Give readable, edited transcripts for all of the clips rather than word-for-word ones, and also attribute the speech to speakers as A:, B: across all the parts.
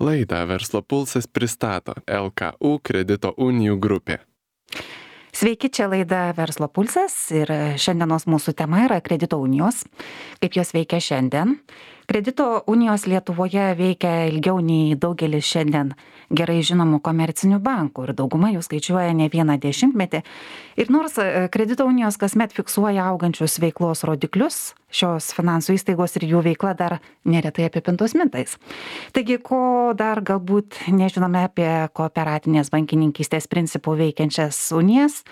A: Laidą Verslo pulsas pristato LKU kredito unijų grupė.
B: Sveiki, čia laida Verslo pulsas ir šiandienos mūsų tema yra kredito unijos. Kaip jos veikia šiandien? Kredito unijos Lietuvoje veikia ilgiau nei daugelis šiandien gerai žinomų komercinių bankų ir dauguma jų skaičiuoja ne vieną dešimtmetį. Ir nors kredito unijos kasmet fiksuoja augančius veiklos rodiklius, šios finansų įstaigos ir jų veikla dar neretai apipintos mintais. Taigi, ko dar galbūt nežinome apie kooperatinės bankininkystės principų veikiančias unijas,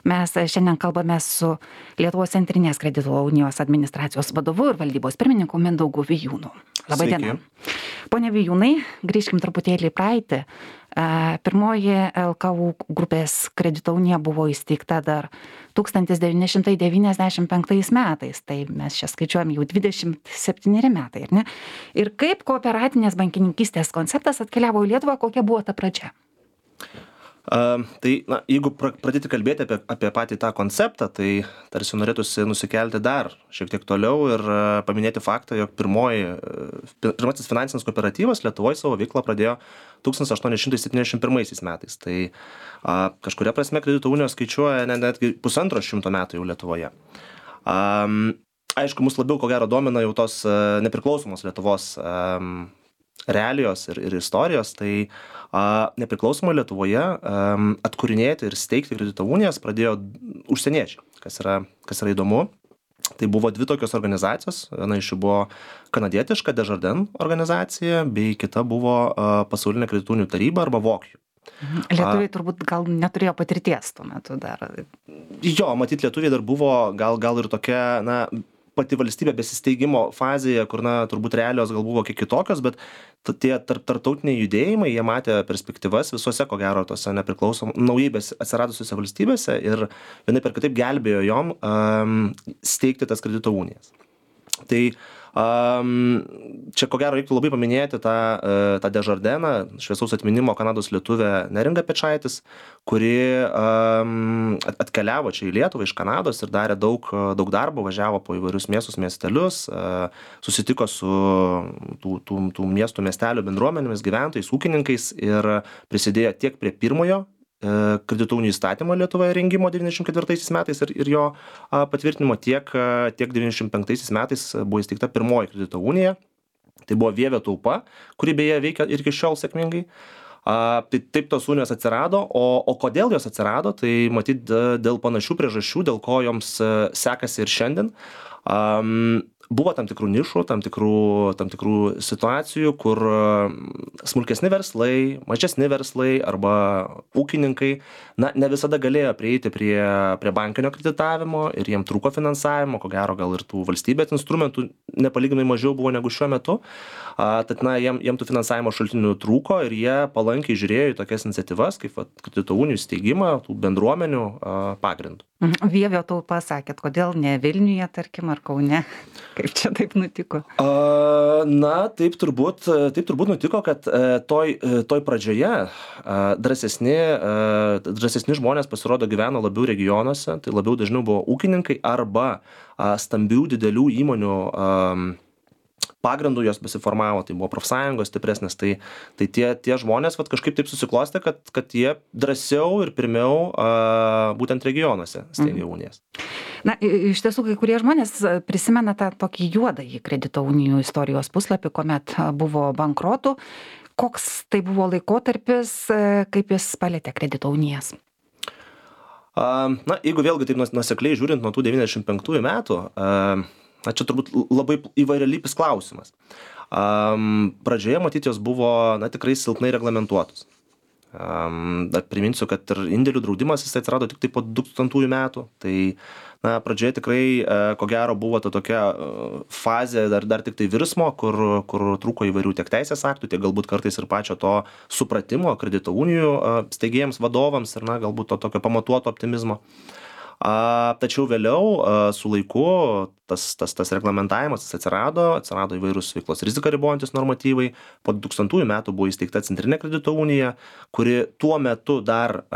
B: mes šiandien kalbame su Lietuvos centrinės kredito unijos administracijos vadovu ir valdybos pirmininku Mindaugu Vijūnu. Labai diena. Pone Vijūnai, grįžkim truputėlį į praeitį. Pirmoji LKU grupės kredito unija buvo įsteigta dar 1995 metais, tai mes čia skaičiuojam jau 27 metai, ar ne? Ir kaip kooperatinės bankininkystės konceptas atkeliavo į Lietuvą, kokia buvo ta pradžia?
C: Jeigu pradėti kalbėti apie patį tą konceptą, tai tarsi norėtųsi nusikelti dar šiek tiek toliau ir paminėti faktą, jog pirmasis finansinis kooperatyvas Lietuvoje savo veiklą pradėjo 1871 metais. Tai kažkuria prasme kredito unijos skaičiuoja netgi 150 metų jau Lietuvoje. Aišku, mus labiau ko gero domina jau tos nepriklausomos Lietuvos realijos ir istorijos, tai nepriklausomai Lietuvoje atkūrinėti ir steigti kredito unijas pradėjo užsieniečiai, kas yra įdomu. Tai buvo dvi tokios organizacijos, viena iš jų buvo kanadietiška Desjardins organizacija, bei kita buvo pasaulinė kredito unijų taryba arba VOKJU.
B: Lietuviai turbūt gal neturėjo patirties tuo metu dar.
C: Jo, matyt, lietuviai dar buvo gal ir tokia, pati valstybė besisteigimo fazėje, kur, turbūt realijos gal buvo kiek kitokios, bet tie tarptautiniai judėjimai, jie matė perspektyvas visuose, ko gero, tose naujai atsiradusiuose valstybėse ir vienaip ir kitaip gelbėjo jom steigti tas kredito unijas. Tai čia, ko gero, reiktų labai paminėti tą Desjardinsą, šviesaus atminimo Kanados lietuvę Neringą Pečaitis, kuri atkeliavo čia į Lietuvą iš Kanados ir darė daug darbo, važiavo po įvairius miestus, miestelius, susitiko su tų miestų, miestelių bendruomenėmis, gyventojais, ūkininkais ir prisidėjo tiek prie pirmojo kredito unijų įstatymo Lietuvoje rengimo 94 metais ir jo patvirtinimo, tiek 95 metais buvo įsteigta pirmoji kredito unija. Tai buvo Vievio taupa, kuri beje veikia ir iki šiol sėkmingai. Tai taip tos unijos atsirado, o kodėl jos atsirado, tai matyt dėl panašių priežasčių, dėl ko joms sekasi ir šiandien. Buvo tam tikrų nišų, tam tikrų situacijų, kur smulkesni verslai, mažesni verslai arba ūkininkai ne visada galėjo prieiti prie bankinio kreditavimo ir jiem trūko finansavimo, ko gero gal ir tų valstybės instrumentų nepalyginamai mažiau buvo negu šiuo metu. Tad jiem tų finansavimo šaltinių trūko ir jie palankiai žiūrėjo į tokias iniciatyvas, kaip kredito unijų steigimą, tų bendruomenių pagrindų.
B: Vievio taupa sakėt, kodėl ne Vilniuje, tarkim, ar Kaune? Kaip čia taip nutiko?
C: Taip turbūt nutiko, kad toj pradžioje drąsesni žmonės pasirodo gyveno labiau regionuose, tai labiau dažniau buvo ūkininkai arba stambių didelių įmonių pagrindų jos besiformavo, tai buvo profsąjungos stipresnės, tai tie žmonės kažkaip taip susiklostė, kad jie drąsiau ir pirmiau būtent regionuose steigė unijas.
B: Iš tiesų, kai kurie žmonės prisimena tą tokį juodąjį kredito unijų istorijos puslapį, kuomet buvo bankrotų. Koks tai buvo laikotarpis, kaip jis palėtė kredito unijas?
C: Jeigu vėlgi taip nuosekliai žiūrint nuo tų 95 metų, čia turbūt labai įvairialypis klausimas. Pradžioje, matyt, jos buvo tikrai silpnai reglamentuotos. Dar priminsiu, kad ir indėlių draudimas jis atsirado tik po 2000 metų. Tai pradžioje tikrai, ko gero, buvo ta tokia fazė dar tik tai virsmo, kur trūko įvairių tiek teisės aktų, tiek galbūt kartais ir pačio to supratimo kredito unijų steigėjams, vadovams ir galbūt to tokio pamatuoto optimizmo. Tačiau vėliau su laiku tas reglamentavimas atsirado įvairūs veiklos riziką ribojantis normatyvai. Po 2000 metų buvo įsteigta Centrinė kredito unija, kuri tuo metu dar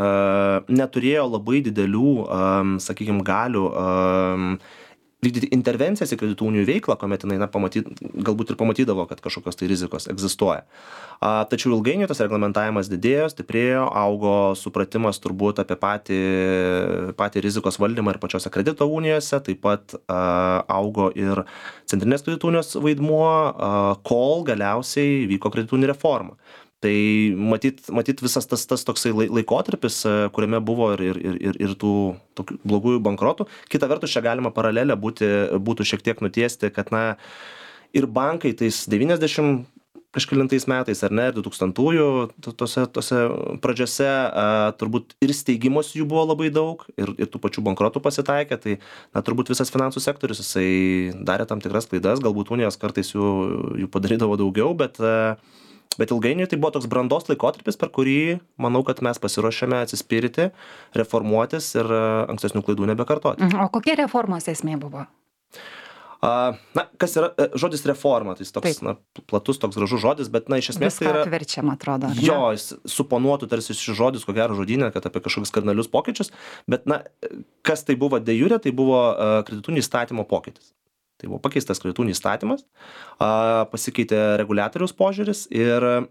C: neturėjo labai didelių, sakykime, galių vykdyti intervencijas į kreditų unijų veiklą, kuomet jinai galbūt ir pamatydavo, kad kažkokios tai rizikos egzistuoja. Tačiau ilgainiui tas reglamentavimas didėjo, stiprėjo, augo supratimas turbūt apie patį rizikos valdymą ir pačiose kredito unijose, taip pat augo ir centrinės kredito unijos vaidmuo, kol galiausiai vyko kreditų unijų reforma. Tai matyt visas tas toksai laikotarpis, kuriame buvo ir tų tokių blogųjų bankrotų. Kita vertus, čia galima paralelę būtų šiek tiek nutiesti, kad ir bankai tais 90 kažkelintais metais, ar ne, 2000-ųjų tose pradžiose turbūt ir steigimos jų buvo labai daug, ir tų pačių bankrotų pasitaikė, tai turbūt visas finansų sektorius, jisai darė tam tikras klaidas, galbūt unijos kartais jų padarydavo daugiau, bet ilgainiui tai buvo toks brandos laikotarpis, per kurį, manau, kad mes pasiruošėme atsispirti, reformuotis ir ankstesnių klaidų nebekartoti.
B: O kokia reformos esmė buvo?
C: Kas yra žodis reforma, tai toks platus, toks gražus žodis, bet iš esmės tai yra...
B: Viską apverčiam, atrodo.
C: Jo, jis suponuotų tarsi šis žodis, ko gero žodynė, kad apie kažkokius kardinalius pokyčius, bet kas tai buvo de jure, tai buvo kreditų unijų įstatymo pokytis. Tai buvo pakeistas kreditų unijų įstatymas, pasikeitė reguliatoriaus požiūris ir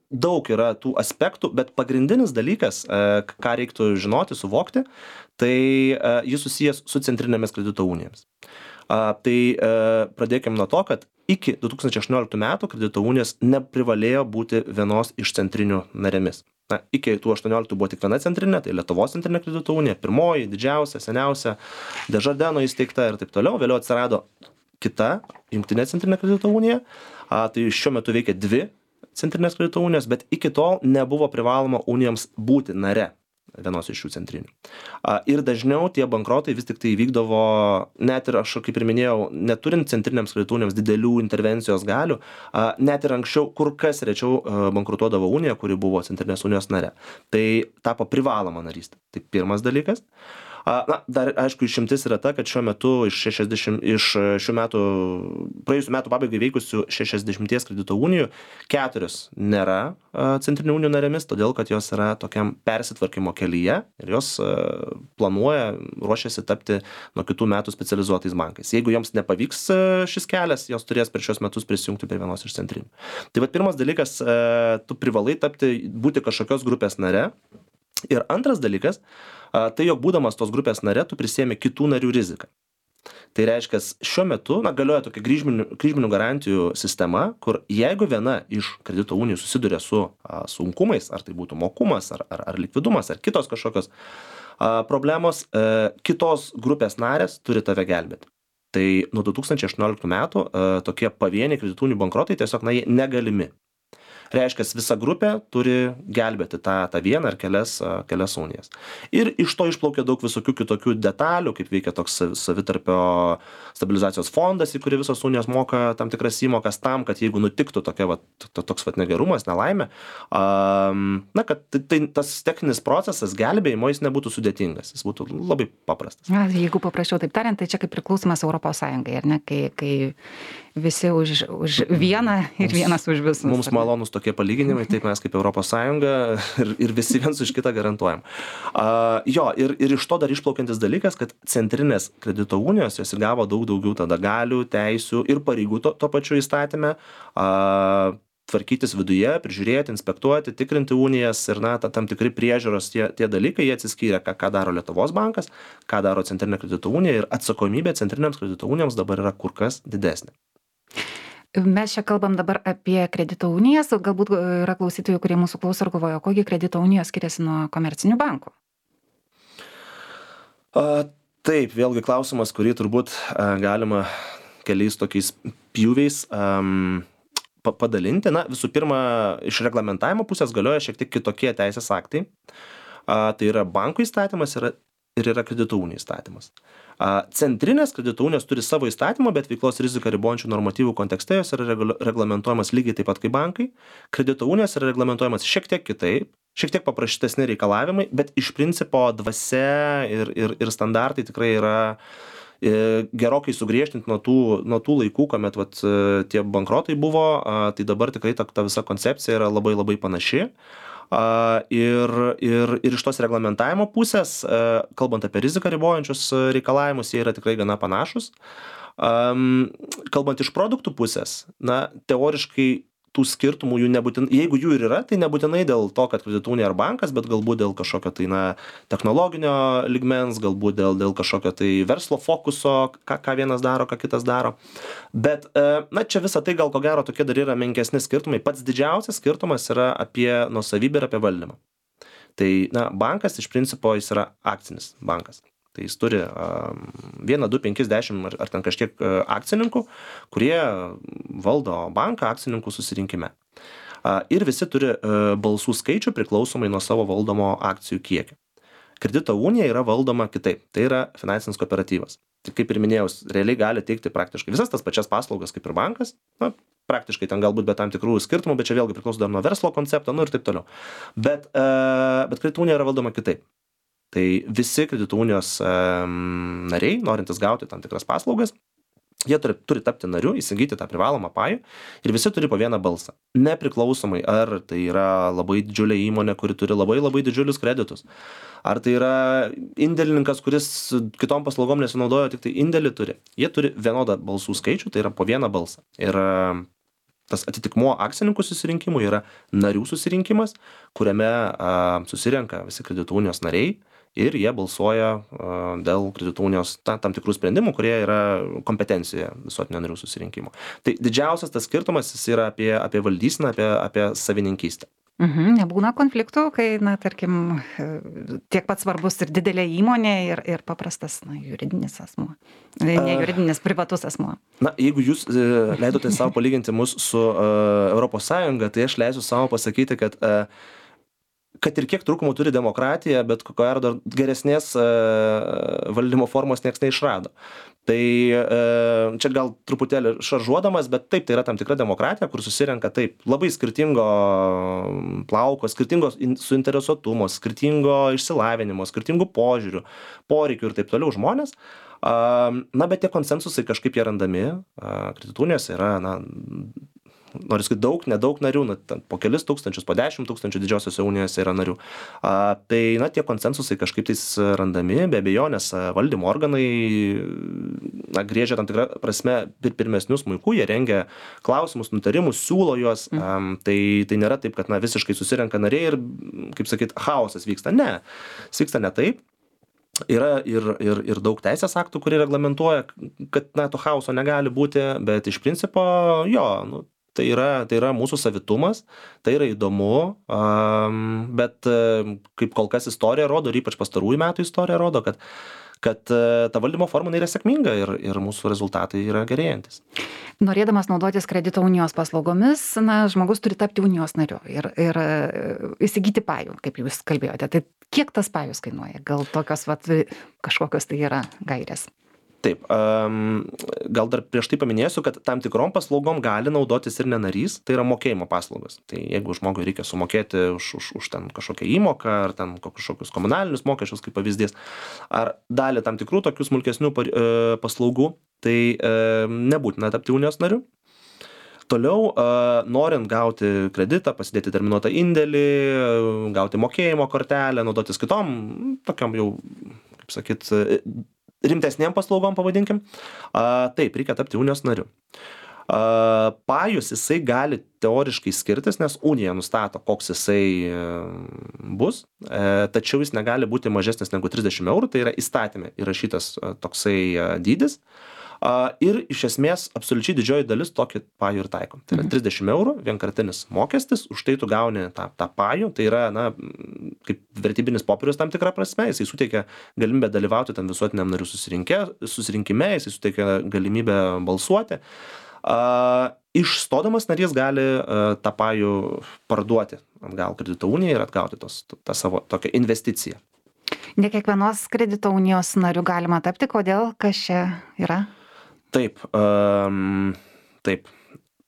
C: daug yra tų aspektų, bet pagrindinis dalykas, ką reiktų žinoti, suvokti, tai jis susijęs su centrinėmis kredito unijomis. Tai pradėkime nuo to, kad iki 2018 metų kredito unijos neprivalėjo būti vienos iš centrinių narėmis. Iki 2018 buvo tik viena centrinė, tai Lietuvos centrinė kredito unija, pirmoji, didžiausia, seniausia, Desjardino įsteigta ir taip toliau. Vėliau atsirado kita jungtinė centrinė kredito unija, tai šiuo metu veikia 2 centrinės kredito unijos, bet iki tol nebuvo privaloma unijoms būti nare vienos iš šių centrinių. Ir dažniau tie bankrotai vis tik tai vykdavo, net ir aš, kaip ir minėjau, neturint centrinėms kredito unijoms didelių intervencijos galių, net ir anksčiau kur kas rečiau bankrutuodavo unija, kuri buvo centrinės unijos nare. Tai tapo privaloma narystė. Tai pirmas dalykas. Dar, aišku, išimtis yra ta, kad šiuo metu praėjusių metų pabaigai veikusių 60 kredito unijų 4 nėra centrinių unijų narėmis, todėl kad jos yra tokiam persitvarkymo kelyje ir jos ruošiasi tapti nuo kitų metų specializuotais bankais. Jeigu joms nepavyks šis kelias, jos turės per šios metus prisijungti prie vienos iš centrinių. Tai pirmas dalykas, tu privalai būti kažkokios grupės nare. Ir antras dalykas, tai jog būdamas tos grupės nare, tu prisiemi kitų narių riziką. Tai reiškia, šiuo metu galioja tokia kryžminių garantijų sistema, kur jeigu viena iš kredito unijų susiduria su sunkumais, ar tai būtų mokumas, ar likvidumas, ar kitos kažkokios problemos, kitos grupės narės turi tave gelbėti. Tai nuo 2018 metų tokie pavieniai kredito unijų bankrotai tiesiog jie negalimi. Reiškia, visa grupė turi gelbėti tą vieną ar kelias unijas. Ir iš to išplaukia daug visokių kitokių detalių, kaip veikia toks savitarpio stabilizacijos fondas, į kurį visos unijos moka tam tikras įmokas tam, kad jeigu nutiktų toks negerumas, nelaimė, kad tas techninis procesas gelbėjimo jis nebūtų sudėtingas, jis būtų labai paprastas.
B: Jeigu paprašiau taip tariant, tai čia kaip priklausimas Europos Sąjungai, ar ne, kai visi už vieną ir vienas už visus.
C: Mums malonus tokie palyginimai, taip mes kaip Europos Sąjunga ir visi viens už kitą garantuojam. Ir iš to dar išplaukiantis dalykas, kad centrinės kredito unijos jos įgavo daug daugiau tada galių, teisių ir pareigų to pačiu įstatyme, tvarkytis viduje, prižiūrėti, inspektuoti, tikrinti unijas ir tam tikri priežiūros tie dalykai, jie atsiskyrė, ką daro Lietuvos bankas, ką daro centrinė kredito unija ir atsakomybė centrinėms kredito unijoms dabar yra kur kas didesnė.
B: Mes čia kalbam dabar apie kredito unijas, galbūt yra klausytojų, kurie mūsų klauso ir galvoja, kokie kredito unijos skiriasi nuo komercinių bankų?
C: Taip, vėlgi klausimas, kurį turbūt galima keliais tokiais pjūviais padalinti. Visų pirma, iš reglamentavimo pusės galioja šiek tiek kitokie teisės aktai. Tai yra bankų įstatymas ir yra kredito unijų įstatymas. Centrinės kredito unijos turi savo įstatymą, bet veiklos riziką ribojančių normatyvų kontekste jos yra reglamentuojamas lygiai taip pat kaip bankai. Kredito unijos yra reglamentuojamas šiek tiek kitaip, šiek tiek paprastesni reikalavimai, bet iš principo dvasia ir standartai tikrai yra gerokai sugriežtinti nuo tų laikų, kuomet tie bankrotai buvo, tai dabar tikrai ta visa koncepcija yra labai labai panaši. Ir iš tos reglamentavimo pusės, kalbant apie riziką ribojančius reikalavimus, jie yra tikrai gana panašus. Kalbant iš produktų pusės, na, teoriškai tų skirtumų jų nebūtinai, jeigu jų ir yra, tai nebūtinai dėl to, kad kredito unija ar bankas, bet galbūt dėl kažkokio tai, na, technologinio lygmens, galbūt dėl kažkokio tai verslo fokuso, ką vienas daro, ką kitas daro. Bet, na, čia visą tai gal ko gero tokie dar yra menkesni skirtumai. Pats didžiausias skirtumas yra apie nuosavybę ir apie valdymą. Tai, na, bankas iš principo jis yra akcinis bankas. Tai jis turi 1, 2, 5, 10 ar ten kažkiek akcininkų, kurie valdo banką akcininkų susirinkime. Ir visi turi balsų skaičių priklausomai nuo savo valdomo akcijų kiekio. Kredito unija yra valdoma kitaip. Tai yra finansinis kooperatyvas. Tai kaip ir minėjau, realiai gali teikti praktiškai visas tas pačias paslaugas kaip ir bankas. Na, praktiškai ten galbūt be tam tikrų skirtumų, bet čia vėlgi priklauso dar nuo verslo koncepto, nu ir taip toliau. Bet kredito unija yra valdoma kitaip. Tai visi kredito unijos nariai, norintys gauti tam tikras paslaugas, jie turi tapti nariu, įsigyti tą privalomą pajų ir visi turi po vieną balsą. Nepriklausomai, ar tai yra labai didžiulė įmonė, kuri turi labai didžiulius kreditus, ar tai yra indėlininkas, kuris kitom paslaugom nesinaudoja, tik tai indėlį turi. Jie turi vienodą balsų skaičių, tai yra po vieną balsą. Ir tas atitikmuo akcininkų susirinkimui yra narių susirinkimas, kuriame susirenka visi kredito unijos nariai ir jie balsuoja dėl kredito unijos tam tikrų sprendimų, kurie yra kompetencijoje visuotinio narių susirinkimo. Tai didžiausias tas skirtumas jis yra apie valdyseną, apie savininkystę.
B: Nebūna konfliktų, kai, na, tarkim, tiek pat svarbus ir didelė įmonė ir paprastas, na, juridinis asmuo. Ne juridinis, privatus asmuo.
C: Na, jeigu jūs leidote savo palyginti mus su Europos Sąjunga, tai aš leisiu savo pasakyti, kad ir kiek trūkumų turi demokratija, bet ko gero dar geresnės valdymo formos nieks neišrado. Tai čia gal truputėlį šaržuodamas, bet taip, tai yra tam tikra demokratija, kur susirenka taip labai skirtingo plauko, skirtingo suinteresuotumo, skirtingo išsilavinimo, skirtingų požiūrių, poreikių ir taip toliau žmonės. Na, bet tie konsensusai kažkaip jie randami. Kredito unijose yra, na, noriu sakyti, nedaug narių, po kelis tūkstančius, po 10 tūkstančių didžiosiose unijose yra narių. Tai, na, tie konsensusai kažkaip tais randami, be abejonės valdymo organai, na, griežia tam tikrą prasme pirmesnius smuiku, jie rengia klausimus, nutarimus, siūlo juos. Tai nėra taip, kad, na, visiškai susirenka nariai ir, kaip sakyt, chaosas vyksta. Ne, vyksta ne taip. Yra ir daug teisės aktų, kurie reglamentuoja, kad, na, to chaoso negali būti, bet iš principo, jo, nu, tai yra mūsų savitumas, tai yra įdomu, bet kaip kol kas istorija rodo, ir ypač pastarųjų metų istorija rodo, kad ta valdymo forma yra sėkminga ir mūsų rezultatai yra gerėjantis.
B: Norėdamas naudotis kredito unijos paslaugomis, na, žmogus turi tapti unijos nariu ir įsigyti pajų, kaip jūs kalbėjote. Tai kiek tas pajus kainuoja? Gal tokios kažkokios tai yra gairės?
C: Taip, gal dar prieš tai paminėsiu, kad tam tikrom paslaugom gali naudotis ir nenarys, tai yra mokėjimo paslaugos. Tai jeigu žmogui reikia sumokėti už ten kažkokią įmoką, ar ten kažkokius komunalinius mokesčius, kaip pavyzdys, ar dalį tam tikrų tokių smulkesnių paslaugų, tai nebūtina tapti unijos nariu. Toliau, norint gauti kreditą, pasidėti terminuotą indėlį, gauti mokėjimo kortelę, naudotis kitom, tokiam jau, kaip sakyt, rimtesnėm paslaugom, pavadinkim, taip, reikia tapti unijos nariu. Pajus jisai gali teoriškai skirtis, nes unija nustato, koks jisai bus, tačiau jis negali būti mažesnis negu 30 eurų, tai yra įstatyme įrašytas toksai dydis. Ir iš esmės absoliučiai didžioji dalis tokį pajų ir taiko. Tai yra 30 eurų, vienkartinis mokestis, už tai tu gauni tą pajų, tai yra, na, kaip vertybinis popierius tam tikrą prasme, jisai suteikia galimybę dalyvauti tam visuotiniam narių susirinkime, jisai suteikia galimybę balsuoti. Išstodamas narys gali tą pajų parduoti atgal kredito unijai ir atgauti tą savo tokią investiciją.
B: Ne kiekvienos kredito unijos narių galima tapti, kodėl, kas čia yra?
C: Taip.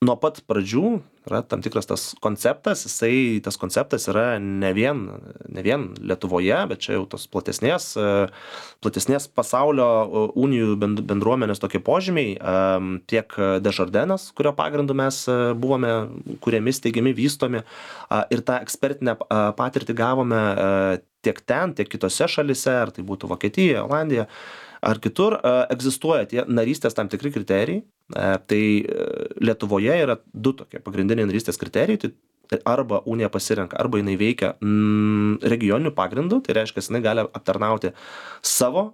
C: nuo pat pradžių yra tam tikras tas konceptas yra ne vien Lietuvoje, bet čia jau tos platesnės pasaulio unijų bendruomenės tokie požymiai, tiek Desjardins, kurio pagrindu mes buvome kuriami, steigiami, vystomi, ir tą ekspertinę patirtį gavome tiek ten, tiek kitose šalise, ar tai būtų Vokietija, Olandija, ar kitur, egzistuoja tie narystės tam tikri kriterijai. Tai Lietuvoje yra 2 tokie pagrindiniai narystės kriterijai, tai arba unija pasirenka, arba jinai veikia regioniniu pagrindu, tai reiškia, jinai gali aptarnauti savo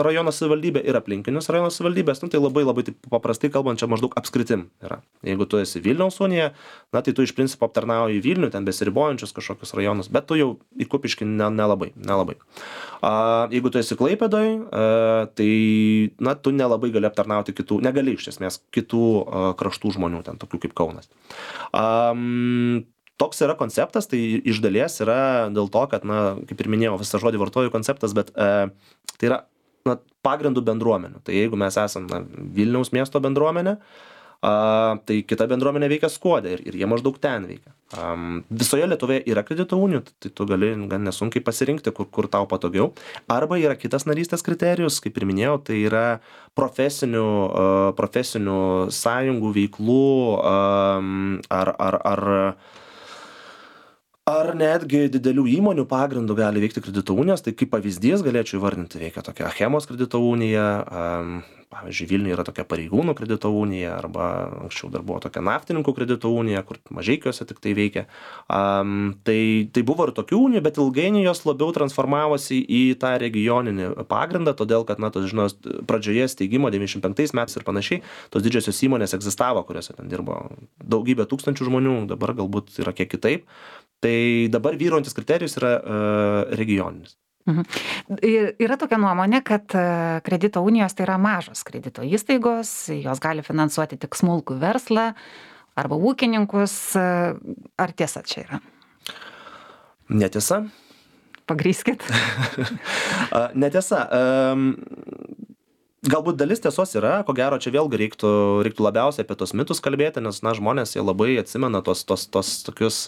C: rajono savivaldybę ir aplinkinius rajono savivaldybės, tai labai taip paprastai kalbant, čia maždaug apskritim yra. Jeigu tu esi Vilniaus unija, tai tu iš principo aptarnauji Vilnių, ten besiribojančius kažkokius rajonus, bet tu jau į Kupiškį nelabai. Jeigu tu esi Klaipėdoj, tai tu nelabai gali aptarnauti negali iš esmės kitų kraštų žmonių, ten tokių kaip Kaunas. Toks yra konceptas, tai iš dalies yra dėl to, kad, kaip ir minėjau, visą žodį vartoju konceptas, bet tai yra pagrindų bendruomenių. Tai jeigu mes esame Vilniaus miesto bendruomenė, tai kita bendruomenė veikia Skuode ir jie maždaug ten veikia. Visoje Lietuvoje yra kredito unijų, tai tu gali gan nesunkiai pasirinkti, kur tau patogiau. Arba yra kitas narystės kriterijus, kaip ir minėjau, tai yra profesinių sąjungų veiklų ar netgi didelių įmonių pagrindų gali veikti kredito unijos. Tai kaip pavyzdys galėčiau įvardinti, veikia tokia Achemos kredito unija, pavyzdžiui, Vilniuje yra tokia Pareigūnų kredito unija, arba anksčiau dar buvo tokia Naftininkų kredito unija, kur Mažeikiuose tik tai veikia. Tai buvo ir tokių unijų, bet ilgainiui jos labiau transformavosi į tą regioninį pagrindą, todėl kad, pradžioje steigimo 95 metais ir panašiai, tos didžiosios įmonės egzistavo, kuriuose ten dirbo daugybė tūkstančių žmonių, dabar galbūt yra kiek kitaip. Tai dabar vyraujantis kriterijus yra regioninis.
B: Yra tokia nuomonė, kad kredito unijos tai yra mažos kredito įstaigos, jos gali finansuoti tik smulkų verslą arba ūkininkus. Ar tiesa čia yra?
C: Netiesa.
B: Pagrįskit.
C: Netiesa. Galbūt dalis tiesos yra, ko gero čia vėlgi reiktų labiausiai apie tos mitus kalbėti, nes žmonės jie labai atsimena tos tokius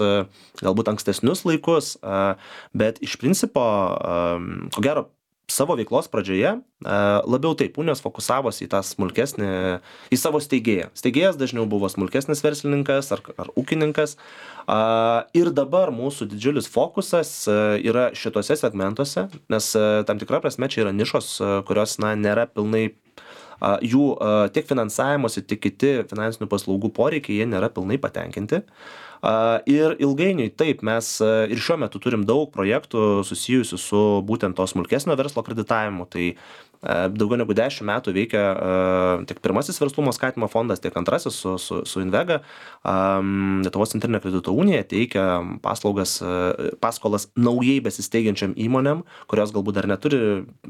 C: galbūt ankstesnius laikus, bet iš principo, ko gero, savo veiklos pradžioje labiau taip unijos fokusavosi į tą smulkesnį, į savo steigėją. Steigėjas dažniau buvo smulkesnis verslininkas ar ūkininkas. Ir dabar mūsų didžiulis fokusas yra šituose segmentuose, nes tam tikra prasme čia yra nišos, kurios nėra pilnai jų tiek finansavimuose, tiek kiti finansinių paslaugų poreikiai, jie nėra pilnai patenkinti. Ir ilgainiui taip, mes ir šiuo metu turim daug projektų susijusių su būtent to smulkesnio verslo kreditavimu. Tai daugiau negu 10 metų veikia tiek pirmasis verslumo skatinimo fondas, tiek antrasis su Invega. Lietuvos centrinė kredito unija teikia paskolas naujai besisteigiančiam įmonėm, kurios galbūt dar neturi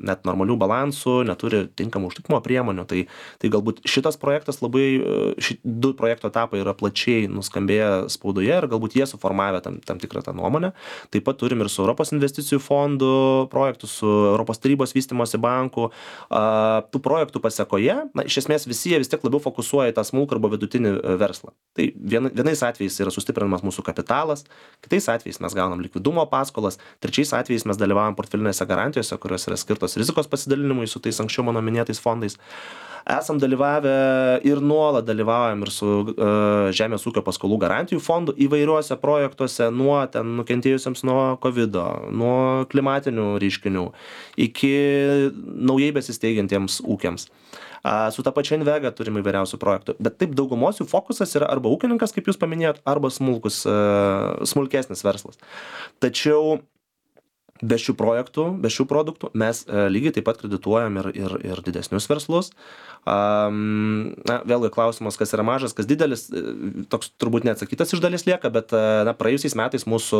C: net normalių balansų, neturi tinkamų užtikimo priemonių. Tai galbūt šitas projektas du projekto etapai yra plačiai nuskambėję spaudoje ir galbūt jie suformavę tam tikrą tą nuomonę. Taip pat turim ir su Europos investicijų fondų projektų, su Europos tarybos vystymosi banku. Tų projektų pasekoje, iš esmės visi jie vis tiek labiau fokusuoja į tą smulkų arba vidutinį verslą. Tai vienais atvejais yra sustiprinamas mūsų kapitalas, kitais atvejais mes gaunam likvidumo paskolas, trečiais atvejais mes dalyvaujam portfelinėse garantijose, kurios yra skirtos rizikos pasidalinimui su tais anksčiau mano minėtais fondais. Esam dalyvavę ir nuolat dalyvaujam ir su Žemės ūkio paskolų garantijų fondu įvairiuose projektuose, nuo ten nukentėjusiems nuo COVID, nuo klimatinių reiškinių iki naujai besisteigiantiems ūkiams. Su ta pačia Invega turim įvairiausių projektų, bet taip daugumos jų fokusas yra arba ūkininkas, kaip jūs paminėjot, arba smulkesnis verslas. Tačiau be šių projektų, be šių produktų mes lygiai taip pat kredituojam ir didesnius verslus. Vėlgi klausimas, kas yra mažas, kas didelis, toks turbūt neatsakytas iš dalies lieka, bet praėjusiais metais mūsų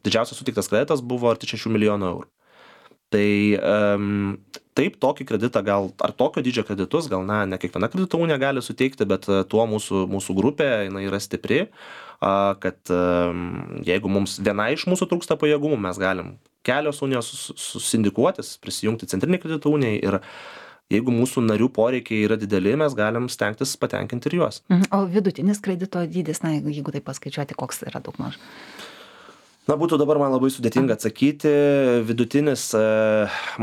C: didžiausias suteiktas kreditas buvo arti 6 milijonų eurų. Tai taip, tokį kreditą ar tokio dydžio kreditus, ne kiekviena kredito unija gali suteikti, bet tuo mūsų grupė jinai yra stipri, kad jeigu mums viena iš mūsų trūksta pajėgumų, mes galim kelios unijos susindikuotis, prisijungti centrinį kredito uniją ir Jeigu mūsų narių poreikiai yra dideli, mes galim stengtis patenkinti ir juos.
B: O vidutinis kredito dydis, na, jeigu tai paskaičiuoti, koks yra daugmaž?
C: Na, būtų dabar man labai sudėtinga atsakyti, vidutinis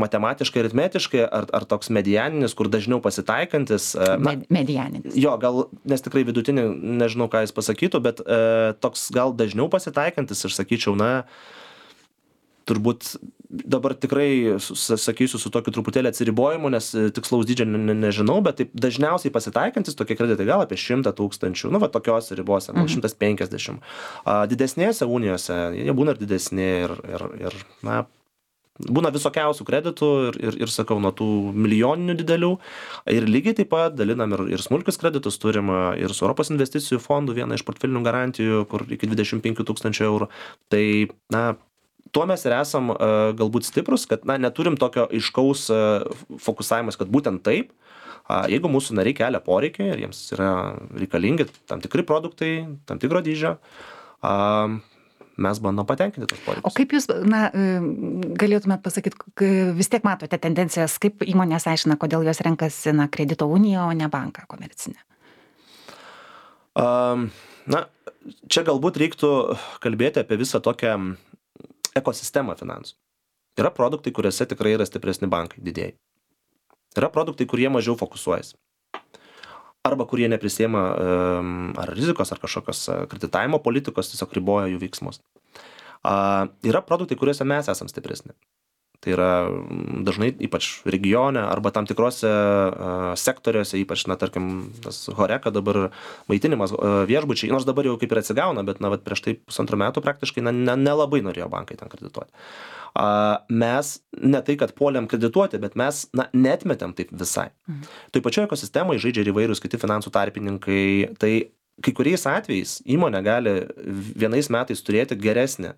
C: matematiškai, aritmetiškai, ar toks medianinis, kur dažniau pasitaikantis.
B: Medianinis.
C: Jo, gal, nes tikrai vidutinį, nežinau, ką jis pasakytų, bet toks gal dažniau pasitaikantis, aš sakyčiau, turbūt dabar tikrai sakysiu su tokiu truputėlį atsiribojimu, nes tikslaus dydžio nežinau, bet taip dažniausiai pasitaikantis tokie kreditai gal apie 100 000, tokios ribose, gal 150. Didesnėse unijose, jie būna ir didesni ir būna visokiausių kreditų ir sakau, nuo tų milijoninių didelių. Ir lygiai taip pat dalinam ir smulkius kreditus, turim ir su Europos investicijų fondų vieną iš portfelinių garantijų, kur iki 25 000 eurų. Tai, tuo mes ir esam galbūt stiprus, kad neturim tokio aiškaus fokusavimas, kad būtent taip, jeigu mūsų nariai kelia poreikiai ir jiems yra reikalingi tam tikri produktai, tam tikro dydžio, mes bandom patenkinti tos poreikius.
B: O kaip jūs, galėtumėt pasakyti, vis tiek matote tendencijas, kaip įmonės aiškina, kodėl jos renkasi kredito uniją, o ne banką komercinę?
C: Čia galbūt reiktų kalbėti apie visą tokią ekosistemą finansų. Yra produktai, kuriuose tikrai yra stipresni bankai, didėjai. Yra produktai, kurie mažiau fokusuojasi. Arba kurie neprisiema ar rizikos, ar kažkokios kreditavimo politikos, tiesiog riboja jų veiksmus. Yra produktai, kuriuose mes esam stipresni. Tai yra dažnai ypač regione arba tam tikrose sektoriuose, ypač, tarkim, tas Horeca dabar maitinimas viešbučiai, nors dabar jau kaip ir atsigauna, bet prieš tai 1,5 metų praktiškai nelabai norėjo bankai ten kredituoti. Mes ne tai, kad puolėm kredituoti, bet mes neatmetėm taip visai. Tai pačioje ekosistemoje žaidžia ir įvairūs kiti finansų tarpininkai. Tai kai kuriais atvejais įmonė gali vienais metais turėti geresnį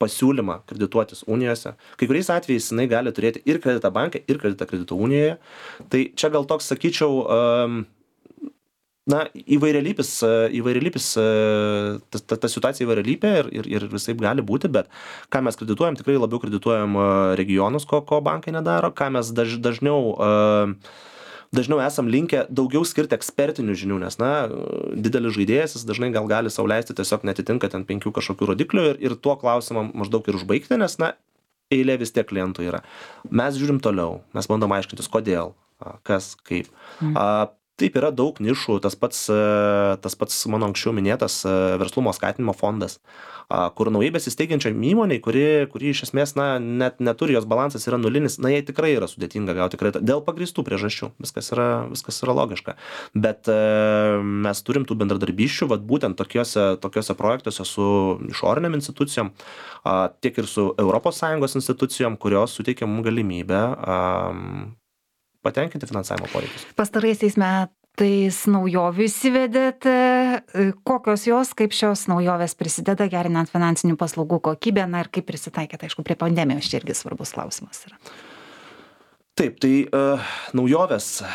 C: pasiūlymą kredituotis unijose. Kai kuriais atvejais jinai gali turėti ir kreditą banke, ir kreditą kredito unijoje. Tai čia gal toks, sakyčiau, įvairialypis, ta situacija įvairialypė ir visaip gali būti, bet ką mes kredituojam, tikrai labiau kredituojam regionus, ko bankai nedaro, ką mes dažniau esam linkę daugiau skirti ekspertinių žinių, nes, didelis žaidėjas, jis dažnai gal gali sau leisti tiesiog netitinka ten 5 kažkokių rodiklių ir tuo klausimą maždaug ir užbaigti, nes, eilė vis tiek klientų yra. Mes žiūrim toliau, mes bandom aiškintis, kodėl, kas, kaip. Taip, yra daug nišų, tas pats mano anksčiau minėtas verslumo skatinimo fondas, kur naujai besisteigiančiam įmoniai, kuri iš esmės net neturi, jos balansas yra nulinis, jai tikrai yra sudėtinga gauti kreditą dėl pagrįstų priežasčių, viskas yra logiška. Bet mes turim tų bendradarbysčių, būtent tokiuose projektuose su išoriniam institucijom, tiek ir su ES institucijom, kurios suteikia mums galimybę patenkinti finansavimo poreikius.
B: Pastaraisiais metais naujovių įsivedėte. Kokios jos, kaip šios naujovės prisideda gerinant finansinių paslaugų kokybę, ir kaip prisitaikėte, aišku, prie pandemijos, čia irgi svarbus klausimas yra.
C: Taip, tai naujovės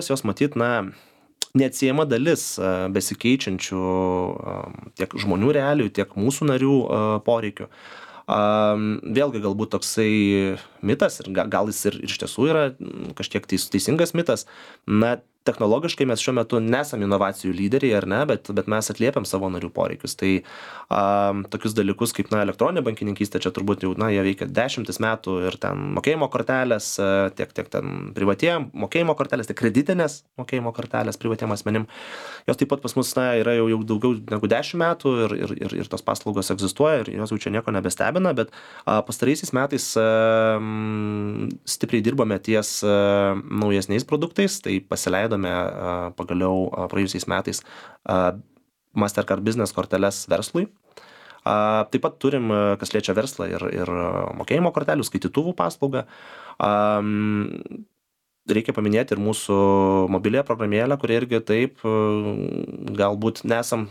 C: jos matyt, neatsiejama dalis besikeičiančių tiek žmonių realijų, tiek mūsų narių poreikių. Vėlgi galbūt toksai mitas, ir gal jis ir iš tiesų yra kažkiek teisingas mitas, technologiškai mes šiuo metu nesam inovacijų lyderiai, ar ne, bet mes atliepiam savo narių poreikius. Tai tokius dalykus kaip elektroninė bankininkystė, čia turbūt jau jie veikia 10 metų ir ten mokėjimo kortelės, tiek ten privatiem mokėjimo kortelės, tiek kreditinės mokėjimo kortelės privatiem asmenim. Jos taip pat pas mus yra jau daugiau negu 10 metų ir tos paslaugos egzistuoja ir jos jau čia nieko nebestebina, bet pastaraisiais metais stipriai dirbame ties naujesniais produktais, tai pasileidome pagaliau praėjusiais metais Mastercard Business korteles verslui. Taip pat turim, kas liečia verslą, ir mokėjimo kortelių, skaitytuvų paslaugą. Reikia paminėti ir mūsų mobiliąją programėlę, kurie irgi taip galbūt nesam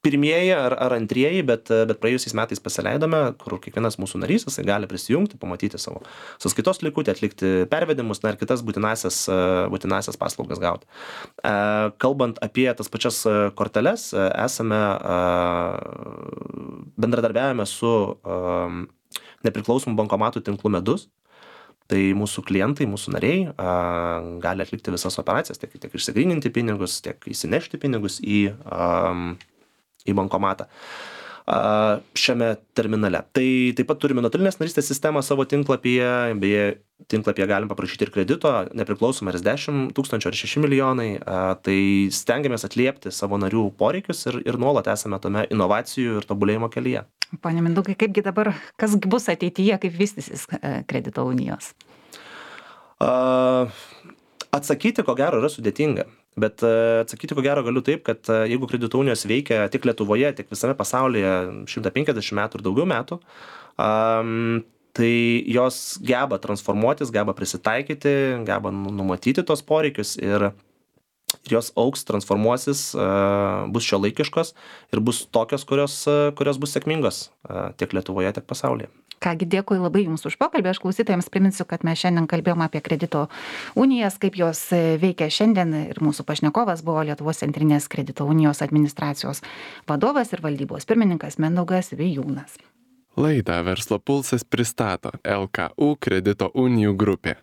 C: pirmieji ar antrieji, bet praėjusiais metais pasileidome, kur kiekvienas mūsų narys gali prisijungti, pamatyti savo sąskaitos likutį, atlikti pervedimus, ir kitas būtinasias paslaugas gauti. Kalbant apie tas pačias korteles, bendradarbiavame su nepriklausomų bankomatų tinklu Medus. Tai mūsų klientai, mūsų nariai gali atlikti visas operacijas, tiek išsigryninti pinigus, tiek įsinešti pinigus į bankomatą šiame terminale. Tai taip pat turime nuotolinės narystės sistemą savo tinklapyje, beje, tinklapyje galim paprašyti ir kredito, nepriklausomai ar 10 000 ar 6 milijonai, tai stengiamės atliepti savo narių poreikius ir nuolat esame tame inovacijų ir tobulėjimo kelyje.
B: Pone Mindaugai, kaipgi dabar, kas bus ateityje, kaip vystysis kredito unijos?
C: Atsakyti, ko gero, yra sudėtinga. Bet atsakyti, ko gero, galiu taip, kad jeigu kredito unijos veikia tiek Lietuvoje, tiek visame pasaulyje 150 metų ir daugiau metų, tai jos geba transformuotis, geba prisitaikyti, geba numatyti tos poreikius ir jos augs, transformuosis, bus šiuolaikiškos ir bus tokios, kurios bus sėkmingos tiek Lietuvoje, tiek pasaulyje.
B: Kągi, dėkui labai Jums už pokalbį. Aš klausytojams priminsiu, kad mes šiandien kalbėjome apie kredito unijas, kaip jos veikia šiandien ir mūsų pašnekovas buvo Lietuvos centrinės kredito unijos administracijos vadovas ir valdybos pirmininkas Mindaugas Vijūnas.
A: Laidą Verslo pulsas pristato LKU kredito unijų grupė.